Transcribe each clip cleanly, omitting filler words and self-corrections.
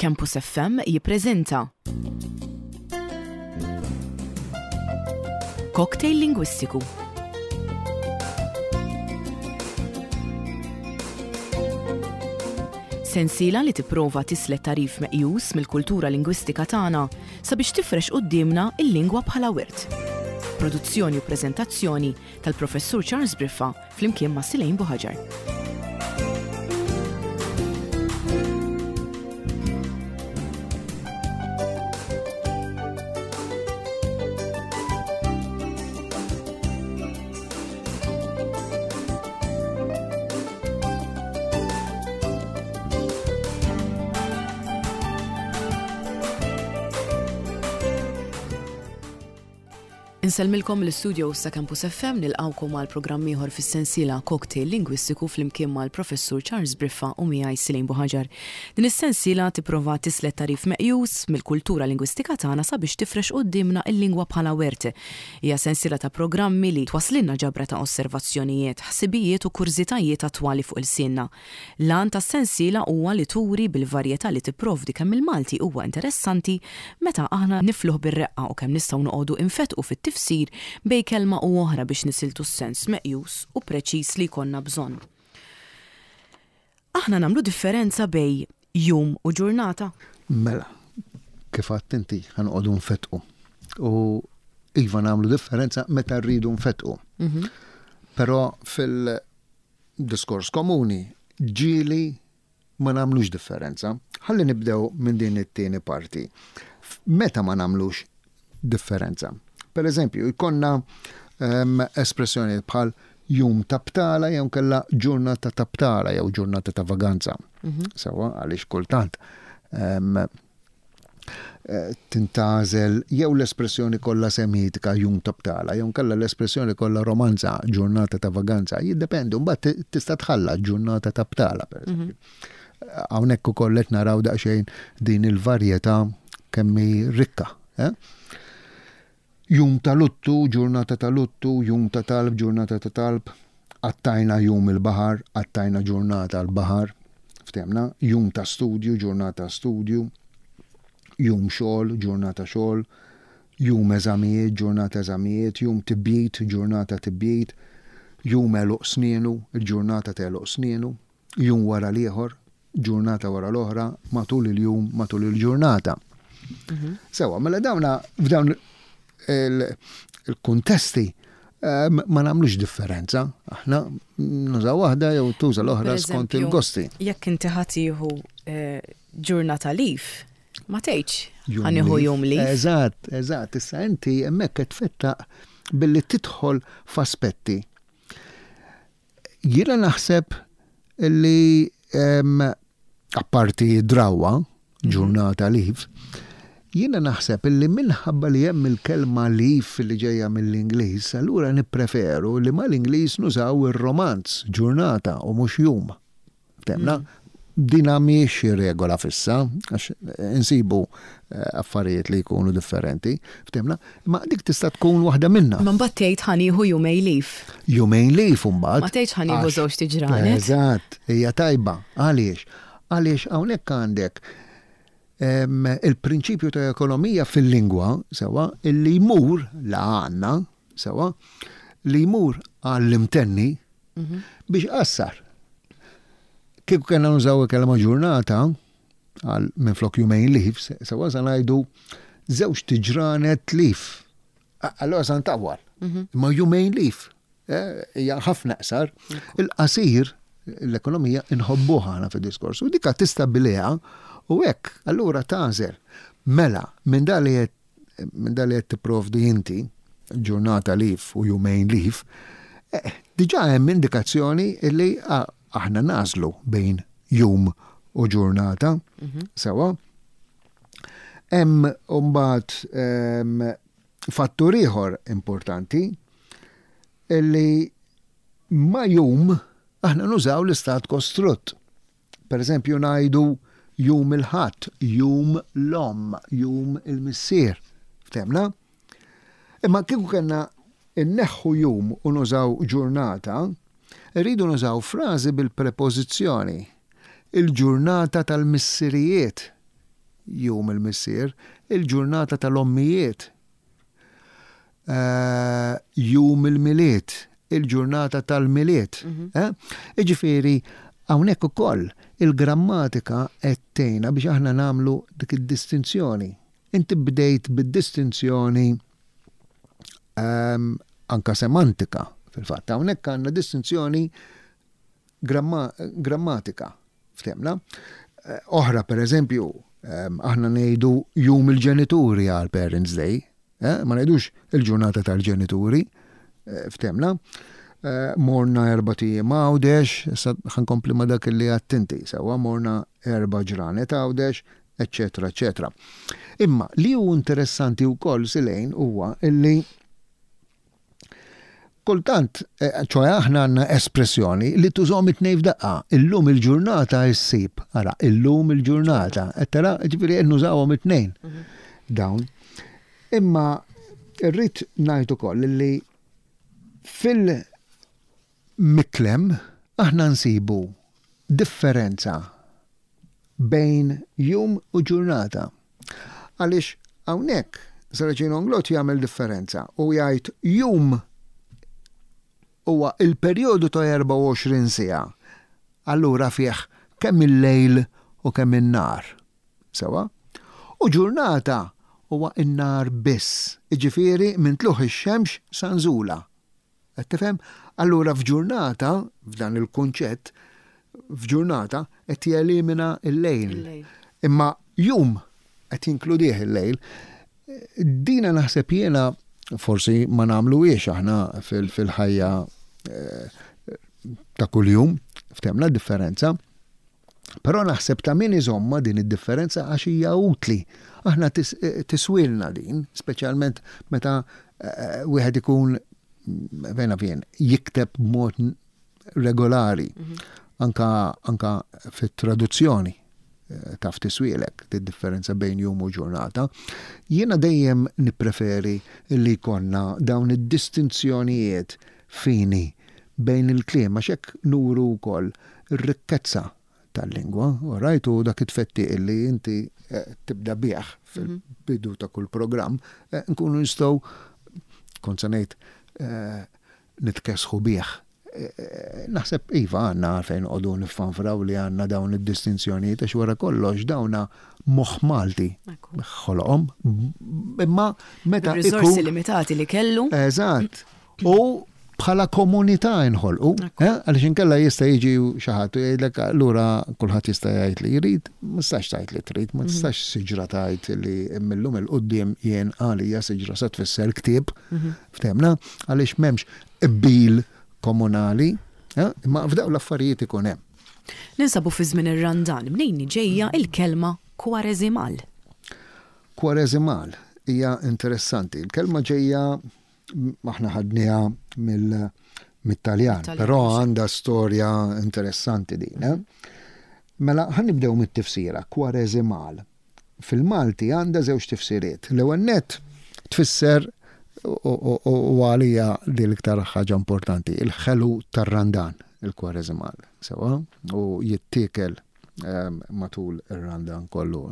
Campus FM jippreżenta Cocktail Lingwistiku. Sensiela li tipprova tislet tagħrif meqjus mill-kultura lingwistika tagħna sabiex tifrex quddiemna l-lingwa bħala wirt. Produzzjoni u preżentazzjoni tal-Professur Charles Briffa flimkien ma' Silejn Buħaġar. Insellmilkom mill-istudios ta' Campus FM nilqgħukom għal programm ieħor fis-sensiela Cocktail Lingwistiku flimkien mal-Professur Charles Briffa u miegħi Silejn Buħaġar. Din is-sensiela tipprova tislet tagħrif meqjus mill-kultura lingwistika tagħna sabiex tifrex quddiemna l-lingwa bħala wirt. Hija sensiela ta' programmi li twasslilna ġabra ta' osservazzjonijiet, ħsibijiet u kurżitajiet attwali fuq ilsienna. L-għan tas-sensiela huwa li turi bil-varjetà li tipprovdi kemm il-Malti huwa interessanti meta aħna nifluh bir-reqqa u kemm nistgħu noqogħdu infettqu fit-tifsir bejn kelma u oħra biex nisiltu s-sens meqjus u preċiż li jkollna bżonn. Aħna nagħmlu differenza bejn jum u ġurnata? Mela, kif għedt inti, ħa noqogħdu nfettqu. U iva nagħmlu differenza meta rridu nfettqu. Però fil- diskors komuni, ġieli ma nagħmlux differenza. Ħalli nibdew minn din it-tieni parti. Meta ma nagħmlux differenza? Per eżempju, jkollna um, espressjoni bħal jum ta' btala jew kella ġurnata ta' btala jew ġurnata ta' vaganza. Mm -hmm. Sewa, għaliex kultant um, tintgħażel jew l-espressjoni kollha semitika jum ta' btala jew inkella l-espressjoni kollha romanza ġurnata ta' vaganza, jiddependi, mbagħad tista' tħallat ġurnata ta' btala pereżempju. Mhm. Hawnhekk ukoll qed naraw daqsxejn din il-varjetà kemm hi rikka. Eh? Jum ta' luttu, ġurnata ta' luttu, jum ta' talb, ġurnata ta' talb, qattajna jum il-baħar, qattajna ġurnata l-baħar, ftehmna, jum ta' studju, ġurnata studju, jum xogħol, ġurnata xogħol, jum eżamijiet, ġurnata eżamijiet, jum tibjid, ġurnata tibjid, jum għeluq snienu, il-ġurnata t'għeluq snienu, jum wara l-ieħor, ġurnata wara l-oħra, matul il-jum, matul il-ġurnata. Mhm. Sewa, mela dawna f'dawn il-kuntesti eh, ma nagħmlux differenza. Aħna nużaw waħda jew tuża l-oħra skont il-gosti. Jekk inti ħatiħu eh, ġurnata lif, ma tgħidx ħanieħu jum lif. Eżatt, eżatt. Issa inti hemmhekk qed tfettaq billi tidħol f'aspetti Jiena naħseb li apparti drawwa, ġurnata leave, jiena naħseb li minħabba li hemm il-kelma leave li ġejja mill-Ingliż, allura nippreferu li mal-Ingliż nużaw ir-Romanz, ġurnata u mhux jum. Temna, dina mhijiex xi regola fissa, għax insibu eh, affarijiet li jkunu differenti, ftemna, imma dik tista' tkun waħda minna. Ma mbagħad tgħid ħanieħu jumej lif. Jumejn lif mbagħad. Ma tgħidx ħanieħu żewġ tiġranet. Eżatt, hija tajba. Għaliex? Għaliex hawnhekk għandek il-prinċipju ta' ekonomija fil-lingwa, sewa, illi jmur la għandna, sewa, li jmur għall-imtenni biex qassar. Kieku kellna nużaw il-kelma ġurnata, għal minflok jumejn leave, sewa sa ngħidu żewġ tiġranet leave. Allora sa ntawwal. Mhm. Imma jumejn leave. Eh, hija ħafna qsar. Il-qasir l-ekonomija inħobbuha ħana fid-diskors. U dika tistabiliha u hekk allura tagħżel. Mela, minn dan li minn dan li qed tipprovdi inti, ġurnata leave u jumejn leave, eh, diġà hemm indikazzjoni li aħna nażlu bejn jum u ġurnata. Mhm. Sewa. Hemm mbagħad ehm, fattur ieħor importanti illi ma jum aħna nużaw l-istat kostrutt. Per eżempju ngħidu jum il-Ħadd, jum l-omm, jum il-missier. Ftemna? Imma kieku kellna nneħħu jum u nużaw ġurnata, irridu nużaw frażi bil-prepożizzjoni. Il-ġurnata tal-missirijiet. Jum il-Missier, il-ġurnata tal-ommijiet. Jum il-Milied, il-ġurnata tal-Milied. Jiġifieri hawnhekk ukoll il-grammatika qed tgħinna biex aħna nagħmlu dik id-distinzjoni. Inti bdejt bid-distinzjoni anka semantika fil-fatt. Hawnhekk għandna distinzjoni grammatika, ftehmna. Oħra pereżempju, aħna ngħidu jum il-ġenituri għal Parents Day, ma ngħidux il-ġurnata tal-ġenituri, ftehmna. Morna erbat ijiem Għawdex, issa ħa nkompli ma' dak li għedt inti, sewwa morna erba' ġranet Għawdex, eċċetera eċċetera. Imma li hu interessanti wkoll Silejn huwa illi kultant, ċoe aħna għandna espressjoni li tużhom it-tnejn f'daqqa, illum il-ġurnata issib, ara, illum il-ġurnata, qed tara, ġifieri qed nużawhom it-tnejn dawn. Imma rrid ngħid ukoll li fil-miklem aħna nsibu differenza bejn jum u ġurnata. Għaliex hawnhekk Saracino Inglott jagħmel differenza u jgħid jum huwa il-perjodu ta' 24 siegħa. Allura fih kemm il-lejl u kemm in-nhar. Sewwa? U ġurnata huwa n-nhar biss, jiġifieri minn tlugħ ix-xemx sa nżulha. Qed tifhem? Allura f'ġurnata, f'dan il-kunċett, f'ġurnata qed jelimina l-lejl. Imma jum qed jinkludih il-lejl. Dina naħseb jiena forsi ma nagħmluhiex aħna fil-ħajja eh, ta' kuljum, ftemna differenza. Però naħseb ta' min iżommha din id-differenza għax hija utli. Aħna tiswielna din, speċjalment meta wieħed ikun fejn naf jien, jikteb b'mod regolari, anka, anka fit-traduzzjoni taf tiswielek differenza bejn jum u ġurnata. Jiena dejjem nippreferi li jkollna dawn id-distinzjonijiet fini bejn il-kliem għax hekk nuru wkoll ir-rikkezza tal-lingwa, all right, u dak it-tfettiq li inti tibda bih fil-bidu ta' kull programm, nkunu nistgħu, kont se ngħid, nitkessħu bih. Naħseb iva għandna għalfejn noqogħdu niffanfraw li għandna dawn id-distinzjonijiet għax wara kollox dawna moħħ Malti ħoloqhom. Imma meta. Riżorsi limitati li kellu. Eżatt. U bħala komunità inħolqu, eh? għaliex inkella jista' jiġi xi ħadd u jgħidlek allura kulħadd jista' jgħid li jrid, ma tistax tgħid li trid, ma mhm. tistax siġra tgħid li millum il qudiem jien għalija siġra se tfisser ktieb, mhm. ftehmna, għaliex m'hemmx qbil komunali, eh? imma f'dawn l-affarijiet ikun hemm. Ninsabu fi żmien ir-Randan, mnejn ġejja il-kelma kwareżimal? Kwareżimal hija interessanti. Il-kelma ġejja Aħna ħadniha mit-Taljan, però għandha storja interessanti din. Eh? Mela, ħa nibdew mit-tifsira, kwareżimal. Fil-Malti għandha żewġ tifsiriet. L-ewwel nett tfisser u għalija di l-iktar ħaġa importanti, il-ħelu tar-randan, il-kwareżimal, sewa, u jittiekel ehm, matul ir-randan kollu.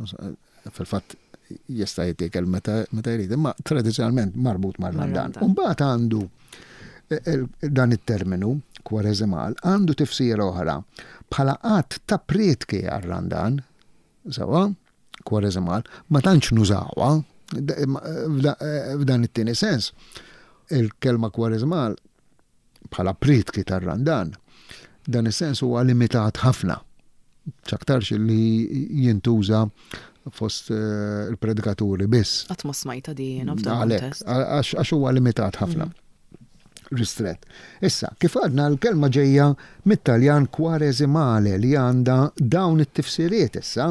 Fil-fatt jista' jittiekel meta jrid, imma tradizzjonalment marbut mar-Randan. U mbagħad għandu eh, eh, dan it-terminu kwareżimal għandu tifsira oħra bħala qatt ta' prietki għar-Randan, sewa, kwareżimal, ma tantx nużawha eh, f'dan it-tieni sens. Il-kelma kwareżimal bħala prietki tar-Randan, dan is-sens huwa limitat ħafna. X'aktarx li jintuża fost eh, il-predikaturi biss. Qatt ma smajta di jiena f'dan Għalhekk, għax huwa limitat ħafna. Mhm. Ristret. Issa, kif għadna l-kelma ġejja mit-Taljan kwaresimale li għandha dawn it-tifsiriet issa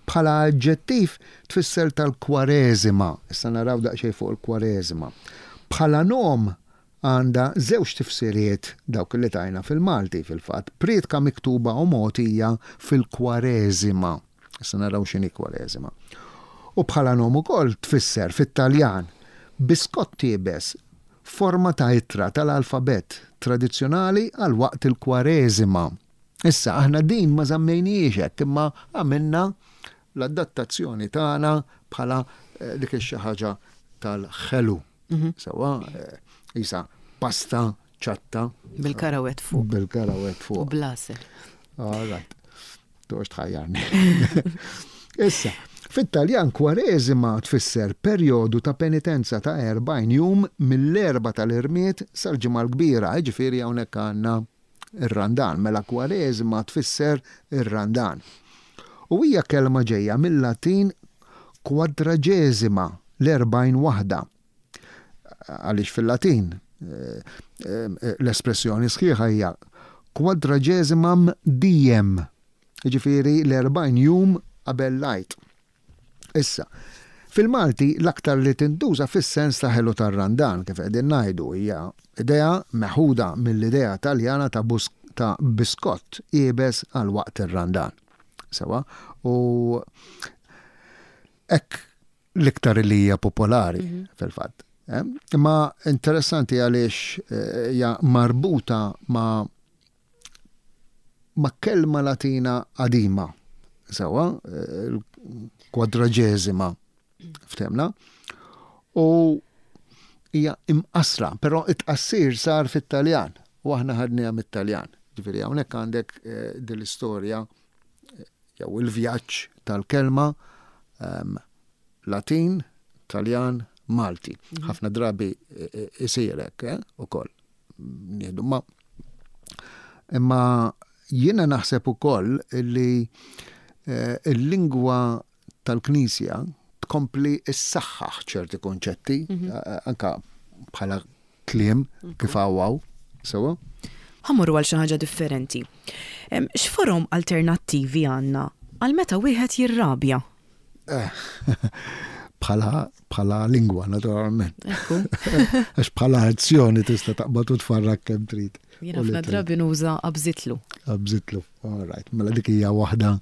bħala aġġettiv tfisser tal-kwareżima. Issa naraw daqsxejn fuq il-kwareżima. Bħala nom Għandha żewġ tifsiriet, dawk li tajna fil-Malti, fil-fatt, prietka miktuba u mogħtija fil-Kwareżima. Issa naraw x'inhi Kwareżima. U bħala nom ukoll tfisser fit-Taljan biskott iebes forma ta' ittra tal-alfabett tradizzjonali għal waqt il-Kwareżima. Issa, aħna din ma żammejnihiex hekk imma għamilna. l-adattazzjoni tagħna bħala eh, dik xi ħaġa tal-ħelu. Mhm. Sewwa, eh, isa pasta ċatta. Bil-karawet fuq. Bil-karawet fuq. U blasel. All right. Toqgħodx tħajjarni. Issa, fit-Taljan kwareżima tfisser perjodu ta' penitenza ta' 40 jum mill-Erbgħa tal-Irmied sal-Ġimgħa l-Kbira, jiġifieri hawnhekk għandna ir-Randan. Mela kwareżima tfisser ir-Randan. U hija kelma ġejja mil-Latin quadragesima, l-40 waħda. Għaliex fil-Latin l-espressjoni sħiħa hija quadragesimam diem, jiġifieri l-40 jum qabel l-Għid. Issa, fil-Malti l-aktar li tintuża fis-sens ta' ħelu tar-Randan, kif qegħdin ngħidu, hija idea meħuda mill-idea Taljana ta' ta' biskott iebes għal waqt ir-Randan. Sewwa? U hekk l-iktar li hija popolari mhm. fil-fatt. Eh? Imma interessanti għaliex eh, hija marbuta ma' ma' kelma Latina qadima, sewwa, eh, kwadraġeżima ftemna, u hija imqassra, però it-tqassir sar fit-Taljan u aħna ħadniha mit-Taljan. Ġifieri hawnhekk għandek din l-istorja jew il-vjaġġ tal-kelma ehm, Latin, Taljan, Malti. Mhm. Ħafna drabi e, e, isir hekk eh, ukoll. Nieħdu ma imma jiena naħseb ukoll li eh, il-lingwa tal-Knisja tkompli ssaħħaħ ċerti konċetti, mhm. eh, anka bħala kliem kif hawn sewwa. Ħa mmorru għal xi ħaġa differenti. X'forom alternattivi għandna għal meta wieħed jirrabja? Eh, bħala bħala lingwa naturalment. Għax bħala azzjoni tista' taqbad u tfarrak kemm trid. Jien ħafna drabi nuża qabżitlu. Qabżitlu. All right. Mela dik hija waħda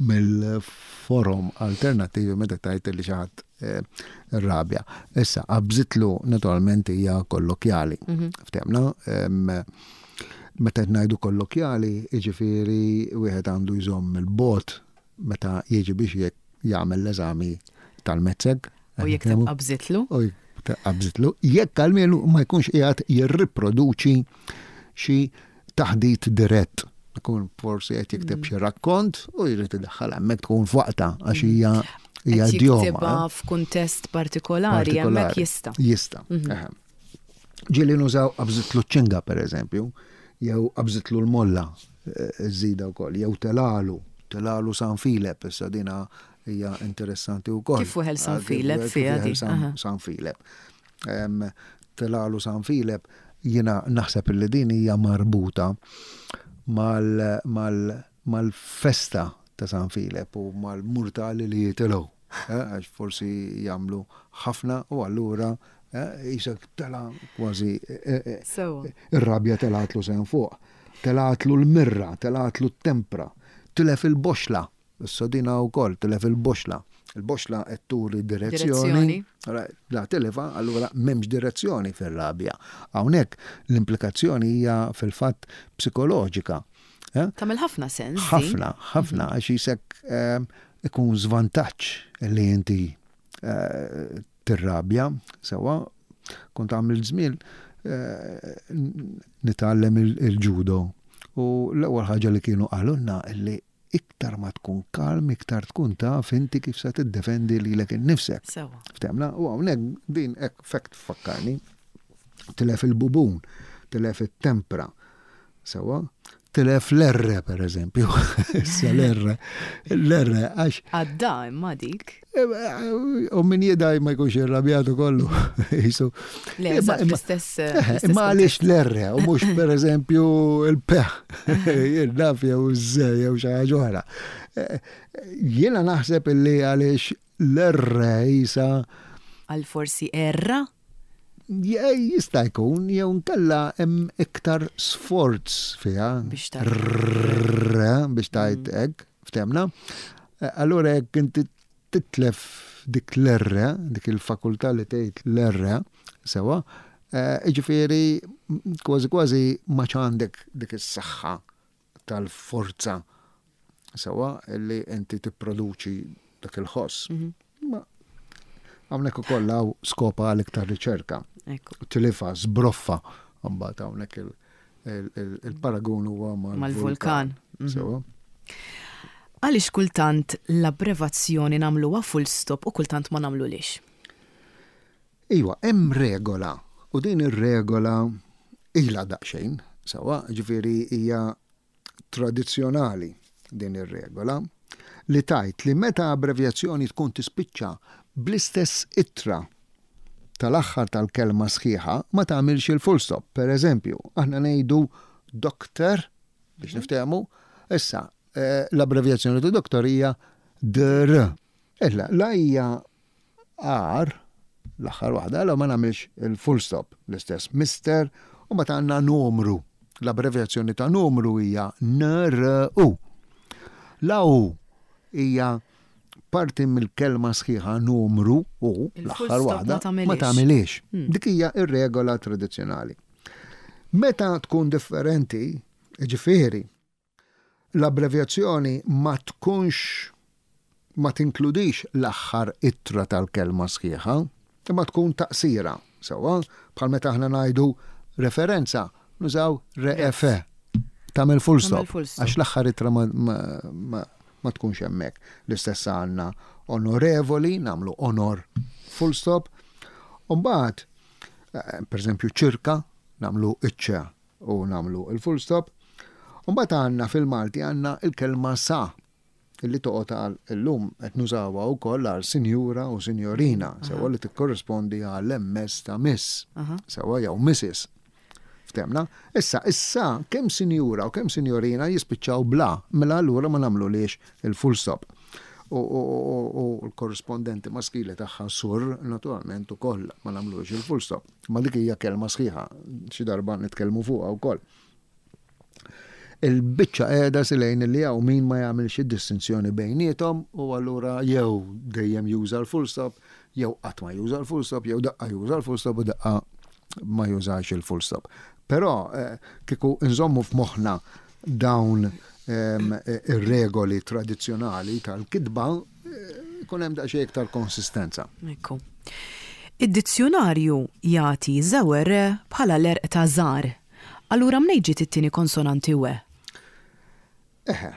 mill-forom alternattivi meta tgħid li xi ħadd eh, rabja. Issa, qabżitlu naturalment hija kollokjali. Mhm. Ftemna, meta qed ngħidu kollokjali, jiġifieri wieħed għandu jżomm il-bot meta jiġi biex jagħmel l-eżami tal-mezzeg. U jikteb qabżitlu. U jikteb qabżitlu. Jekk għalmielu ma jkunx qiegħed jirriproduċi xi taħdit dirett. Ikun forsi qed jikteb xi rakkont u jrid idaħħal hemmhekk tkun f'waqtha għax hija hija idjoma. Jiktibha f'kuntest partikolari hemmhekk jista'. Jista'. Mhm. Ġieli nużaw qabżitlu ċ-ċinga pereżempju, jew qabżitlu l-molla eh, żida wkoll, jew telalu, telalu San Filep, issa dina hija interessanti wkoll. Kif weħel San Filep fiha San Filep. Telalu San Filep, jiena naħseb li din hija marbuta mal-festa ta' San Filep u mal-murtali li jitilgħu. Eh, għax forsi jagħmlu ħafna u allura eh, jisek tela kważi eh, ir-rabja telatlu sehem fuq. Telatlu l-mirra, telatlu t-tempra, tilef il-boxla. Issa dina wkoll tilef il-boxla. Il-boxla qed turi direzzjoni. La tilefha, allura m'hemmx direzzjoni fir-rabja. Hawnhekk l-implikazzjoni hija fil-fatt psikoloġika. Eh? Tagħmel ħafna sens. Ħafna, ħafna, għax jisek eh, ikun żvantaġġ li inti eh, tirrabja, sewwa, kont għamil żmien nitgħallem il-ġudo. U l-ewwel ħaġa li kienu qalulna li Iktar ma tkun kalm, iktar tkun taf inti kif se tiddefendi lilek innifsek. Sewwa. Ftemna? U hawnhekk din hekk f'hekk tfakkarni. Tilef il-bubun, tilef it-tempra. Sewwa? Tilef l-erre, per eżempju. Issa l-erre. L-erre għax. Għadda imma dik. U min jidaj ma jkunx irrabjatu kollu. Jisu. Le, eżatt, l-istess. Eh, imma għaliex l-erre, u mhux per eżempju il-peħ, il-naf jew z jew xi ħaġa oħra. Eh, jiena naħseb illi għaliex l-erre jisa. Għal forsi erra? Jista' jkun jew nkella hemm iktar sforz fiha. Biex Biex tajt mm. hekk. Ftemna? Eh, allura jekk inti titlef dik l-erre, dik il-fakultà li tgħid l-erre, sewa, eh, jiġifieri kważi kważi ma għandek dik is-saħħa tal-forza sewa li inti tipproduċi dak il-ħoss. Mhm. Ma hawnhekk ukoll hawn skopa għal iktar riċerka. Tilifa, żbroffa, mbagħad hawnhekk il-paragun huwa mal-vulkan. Mhm. Għaliex kultant l-abbrevazzjoni nagħmluha full stop u kultant ma nagħmlulix? Iwa, hemm regola u din ir-regola ilha daqsxejn, sewwa, ġifieri hija tradizzjonali din ir-regola, li tgħid li meta abbrevjazzjoni tkun tispiċċa bl-istess ittra tal-aħħar tal-kelma sħiħa ma tagħmilx il-full stop. Per eżempju, aħna ngħidu doctor biex mhm. niftehmu, issa eh, l-abbrevjazzjoni ta' doctor hija dr. Illa, la hija R, l-aħħar waħda, la ma nagħmilx il-full stop, l-istess Mister, u mbagħad għandna numru. L-abbrevjazzjoni ta' numru hija NRU. La U hija parti mill-kelma sħiħa numru u l-aħħar waħda ma tagħmilix. Hmm. Dik hija ir-regola tradizzjonali. Meta tkun differenti, ġifieri, L-abbrevjazzjoni ma tkunx ma tinkludix l-aħħar ittra tal-kelma sħiħa, imma tkun taqsira, sewwa, bħal meta aħna ngħidu referenza, nużaw ref, tagħmel full stop, għax l-aħħar ittra ma, ma, ma, ma tkunx hemmhekk. L-istess għandna onorevoli, nagħmlu onor full stop. U mbagħad, eh, per eżempju, ċirka, nagħmlu iċċa u nagħmlu l-full stop. U mbagħad għandna fil-Malti għandna l-kelma sa illi toqgħod għal illum qed nużawha wkoll għal sinjura u sinjorina, sewwa li tikkorrispondi għal MS ta' miss, sewwa jew Mrs. Ftemna? Issa, issa kemm sinjura u kemm sinjorina jispiċċaw bla, mela allura ma nagħmluliex il-full stop. U l-korrispondenti maskili tagħha sur naturalment ukoll ma nagħmlux il-full stop. Ma dik hija kelma sħiħa, xi darba nitkellmu fuqha wkoll. Il-biċċa qiegħda silejn li hawn min ma jagħmilx id-distinzjoni bejniethom u allura jew dejjem juża l-full stop, jew qatt ma juża l-full stop, jew daqqa juża l-full stop u daqqa ma jużax il-full stop. Però eh, kieku nżommu f'moħħna dawn ehm, ir-regoli tradizzjonali tal-kitba, Ikun hemm daqsxejn iktar konsistenza. Ekku. Id-dizzjunarju jagħti żewer bħala l-għerq ta' żgħar. Allura mnejn ġiet it-tieni konsonanti we? Eħe.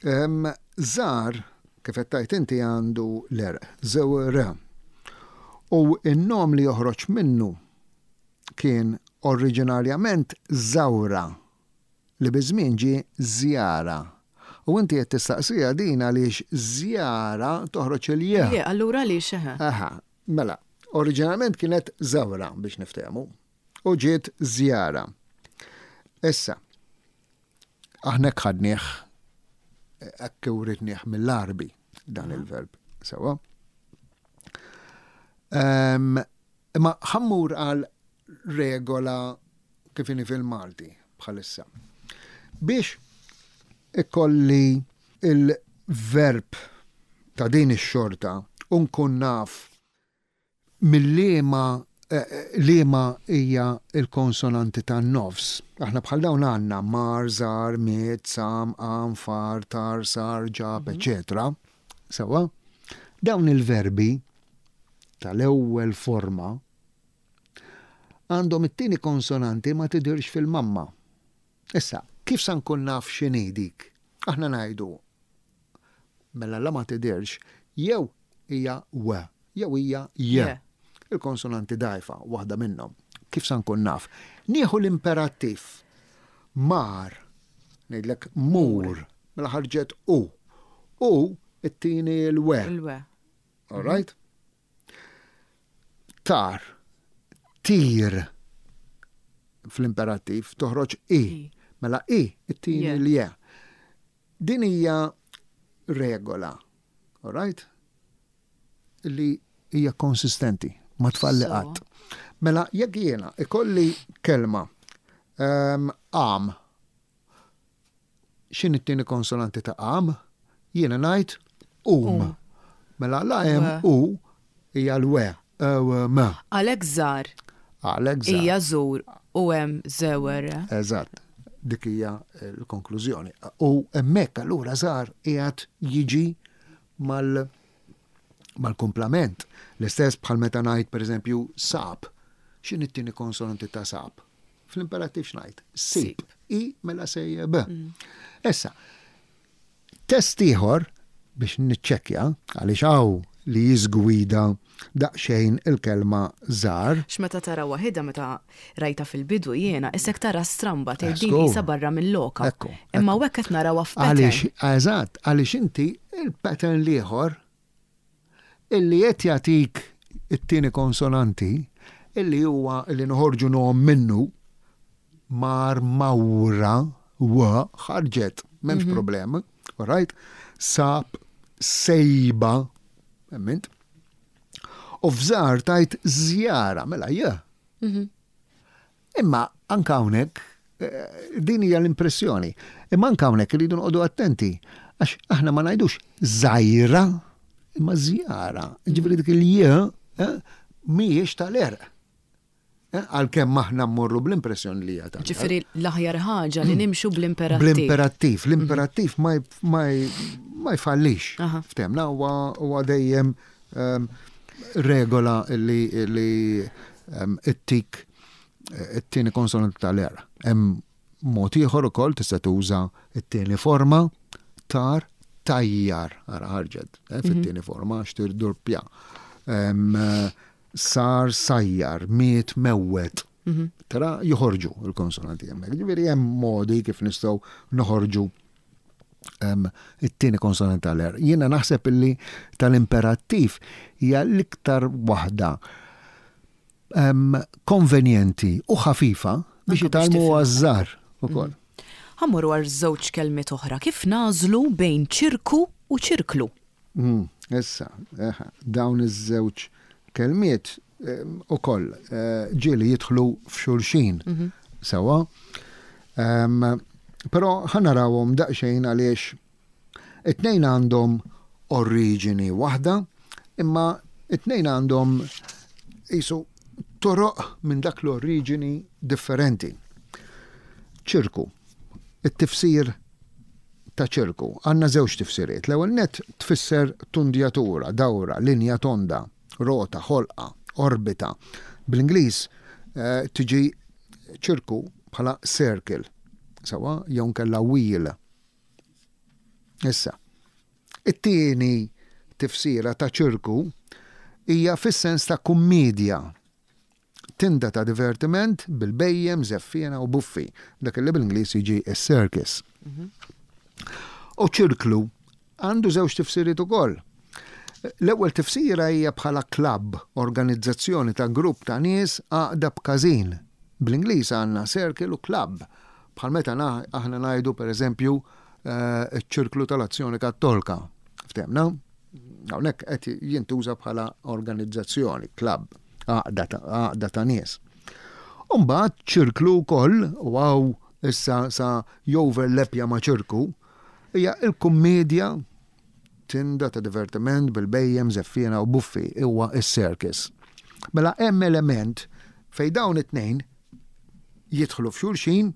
Żgħar, kif qed tgħid inti għandu l-għerq, żewer. U n-nom li joħroġ minnu kien oriġinarjament żawra. Li biż-żmien ġie żjara. U inti qed tistaqsiha din għaliex żjara toħroġ il-j. Il-j, allura għaliex, eħe. Eħe, mela, oriġinalment kienet żawra biex niftehmu u ġiet żjara. Issa, aħna hekk ħadnieh, hekk writnieh mill-Għarbi dan il-verb, sewwa. Imma ħa mmur għal regola kif inhi fil-Malti bħalissa. Biex ikolli il-verb ta' din ix-xorta u nkun naf mill-liema eh, liema hija l-konsonanti tan-nofs. Aħna bħal dawn għandna mar, żar, miet, sam, qam, far, tar, sar, ġab, mhm. eċetera. Sewwa? Dawn il-verbi tal-ewwel forma għandhom it-tieni konsonanti ma tidhirx fil-mamma. Issa, kif sa nkun naf x'inhi dik? Aħna ngħidu mela la ma tidhirx jew hija w jew hija j. Il-konsonanti dgħajfa, waħda minnhom. Kif sa nkun naf? Nieħu l-imperattiv. Mar, ngħidlek mur, mela ħarġet u. U it-tieni l-we. Il-we. All right? Tar, tir fl-imperattiv toħroġ i. Mela i, it-tieni l-je. Din hija regola, all right? Li hija konsistenti, ma tfalli qatt. Mela jekk jiena ikolli kelma ehm, għam X'inhi t-tieni konsonanti ta' qam? Jiena ngħid um. Mela la hemm u hija l-we, e, m. Għalhekk żar. Għalhekk żar. Hija żur u hemm żewer. Eżatt. Dik hija l-konklużjoni. U hemmhekk allura żar qiegħed jiġi mal mal-kumplament. L-istess bħal meta ngħid pereżempju sab. X'inhi t-tieni konsonanti ta' sab? Fl-imperattiv x'ngħid? Sib. I mela sejjeb. Issa, test ieħor biex niċċekkja għaliex hawn li jiżgwida daqsxejn il-kelma żgħar. X'meta tara waħidha meta rajtha fil-bidu jiena, isek tara stramba tgħid din qisha barra mil-loka. Imma hawnhekk qed narawha f'pattern. Għaliex, eżatt, għaliex inti il-pattern l-ieħor illi qed jagħtik it-tieni konsonanti illi huwa illi noħorġu nom minnu mar mawra wa ħarġet, m'hemmx problema, all right? Sab, sejba, emmint. U f'żar tajt żjara, mela ja. Imma anke hawnhekk din hija l-impressjoni. Imma anke hawnhekk irridu noqogħdu attenti għax aħna ma ngħidux żgħira imma żjara. Ġifieri dik il-j eh, mhijiex tal-erq. Eh, għalkemm aħna mmorru bl-impressjoni li hija tal Ġifieri l-aħjar ħaġa li nimxu bl-imperattiv. Bl-imperattiv, l-imperattiv ma jfallix. Ftemna huwa dejjem ehm, regola li ehm, it-tik it-tieni konsonanti tal-er. Hemm mod ieħor ukoll tista' tuża t-tieni forma tar tajjar ara ħarġet eh, fit-tieni forma għax tirdurpja. Sar sajjar, miet mewwet. Mhm. Tara joħorġu il-konsonanti hemmhekk. Ġifieri hemm modi kif nistgħu noħorġu it-tieni konsonanti tal-er. Jiena naħseb illi tal-imperattiv hija l-iktar waħda konvenjenti u ħafifa biex jitgħallmu għaż-żgħar ukoll. Ħa mmorru għal żewġ kelmiet oħra. Kif nagħżlu bejn ċirku u ċirklu? Mm, issa, dawn iż-żewġ kelmiet ukoll eh, ġieli jidħlu f'xulxin. Mhm. Sewa. Però ħa narawhom daqsxejn għaliex It-tnejn għandhom oriġini waħda, imma it-tnejn għandhom qisu toroq minn dak l-oriġini differenti. Ċirku. It-tifsir ta' ċirku. Għandna żewġ tifsiriet. L-ewwel nett tfisser tundjatura, dawra, linja tonda, rota, ħolqa, orbita. Bl-Ingliż eh, tiġi ċirku bħala circle, sawa, jew nkella wheel. Issa, it-tieni tifsira ta' ċirku hija fis-sens ta' kummiedja, tinda ta' divertiment bil-bhejjem, żeffiena u buffi, dak li bl-Ingliż jiġi s-circus. U ċirklu għandu żewġ tifsiriet ukoll. L-ewwel tifsira hija bħala klabb, organizzazzjoni ta' grupp ta' nies għaqda b'każin. Bl-Ingliż għandna circle u club. Bħal meta aħna ngħidu pereżempju ċ-ċirklu tal-Azzjoni Kattolka. Ftehmna? Hawnhekk qed jintuża bħala organizzazzjoni, club, għaqda ta' nies. U mbagħad ċirklu wkoll, u hawn issa sa joverlepja ma' ċirku, hija l-kummiedja tinda ta' divertiment bil-bhejjem, żeffiena u buffi, huwa s-circus. Mela hemm element fejn dawn it-tnejn jidħlu f'xulxin,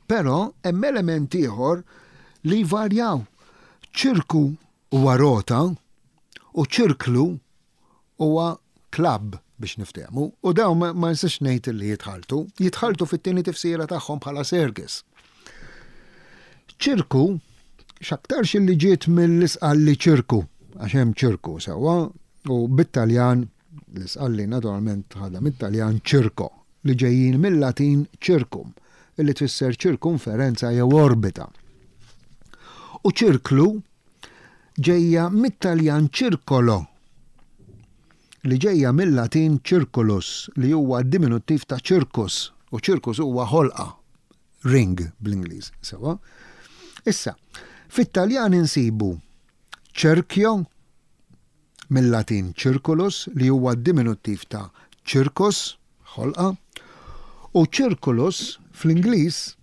però hemm element ieħor li jvarjaw. Ċirku huwa rota u ċirklu huwa klabb biex niftehmu, u dawn ma nistax ngħid li jitħalltu, jitħalltu fit-tieni tifsira tagħhom bħala circus. Ċirku, x'aktarx li ġiet mill-Isqalli ċirku, għax hemm ċirku sewwa, u bit-Taljan, l-Isqalli naturalment ħadha mit-Taljan ċirko, li ġejjin mil-Latin circum, li tfisser ċirkumferenza jew orbita. U ċirklu ġejja mit-Taljan circolo, li ġejja mil-Latin circulus, li huwa diminuttiv ta' circus, u circus huwa ħolqa, ring bl-Ingliż, sewwa. Issa, fit-Taljan insibu cerchio, mil-Latin circulus, li huwa diminuttiv ta' circus, ħolqa, u circulus fl-Ingliż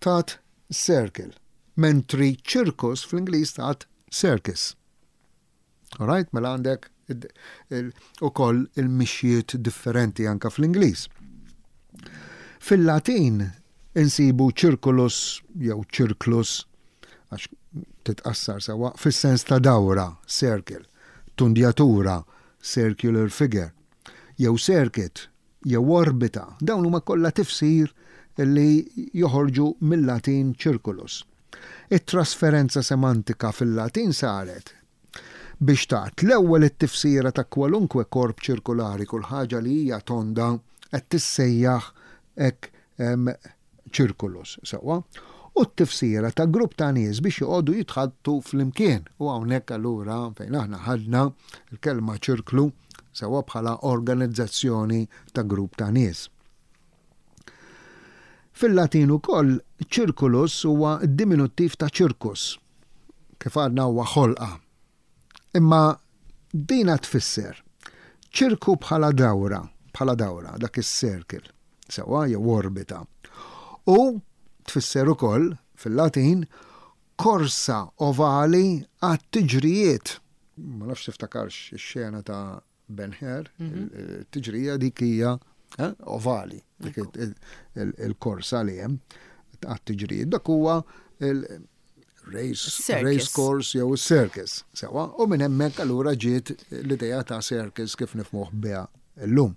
tat circle, mentri circus fl-Ingliż tat circus. Alright, mela għandek ukoll il-mixjiet differenti anka fl-Ingliż. Fil-Latin insibu circulus jew circlus. għax titqassar sewwa, fis-sens ta' dawra, circle, tundjatura, circular figure, jew circuit, jew orbita, dawn huma kollha tifsir li joħorġu mil-Latin circulus. It-trasferenza semantika fil-Latin saret biex tat l-ewwel it-tifsira ta' kwalunkwe korp ċirkulari, kull ħaġa li hija tonda qed tissejjaħ hekk circulus, sewwa, u t-tifsira ta' grupp ta' nies biex joqogħdu jitħaddtu flimkien. U hawnhekk allura fejn aħna ħadna l-kelma ċirklu sewwa bħala organizzazzjoni ta' grupp ta' nies. Fil-Latin ukoll circulus huwa d-diminuttiv ta' circus, kif għadna huwa ħolqa. Imma dina tfisser ċirku bħala dawra, bħala dawra, dak is-circle, sewwa jew orbita. U tfisser ukoll fil-Latin korsa ovali għat-tiġrijiet. Ma nafx tiftakarx ix-xena ta' Ben Hur, tiġrija dik hija eh, ovali, dik il-korsa li hemm għat-tiġrijiet. Dak huwa il-race race course jew circus. Sewa, u minn hemmhekk allura ġiet l-idea ta' circus kif nifmuh biha llum.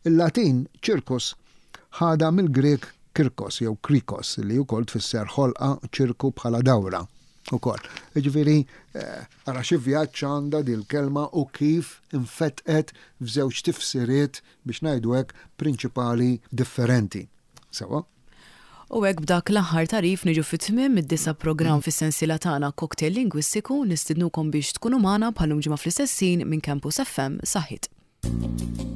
Il-Latin circus ħada mill-Grek kirkos jew krikos li wkoll tfisser ħolqa ċirku bħala dawra ukoll. Jiġifieri eh, ara xi vjaġġ għandha dil-kelma u kif infetqet f'żewġ tifsiriet biex ngħidu hekk prinċipali differenti. Sewa? U hekk b'dak l-aħħar tagħrif niġu fi tmiem id-disa' programm fis-sensiela tagħna Cocktail Lingwistiku, nistidnukom biex tkunu magħna bħal-lum ġimgħa fl-istess ħin minn Campus FM. Saħħiet.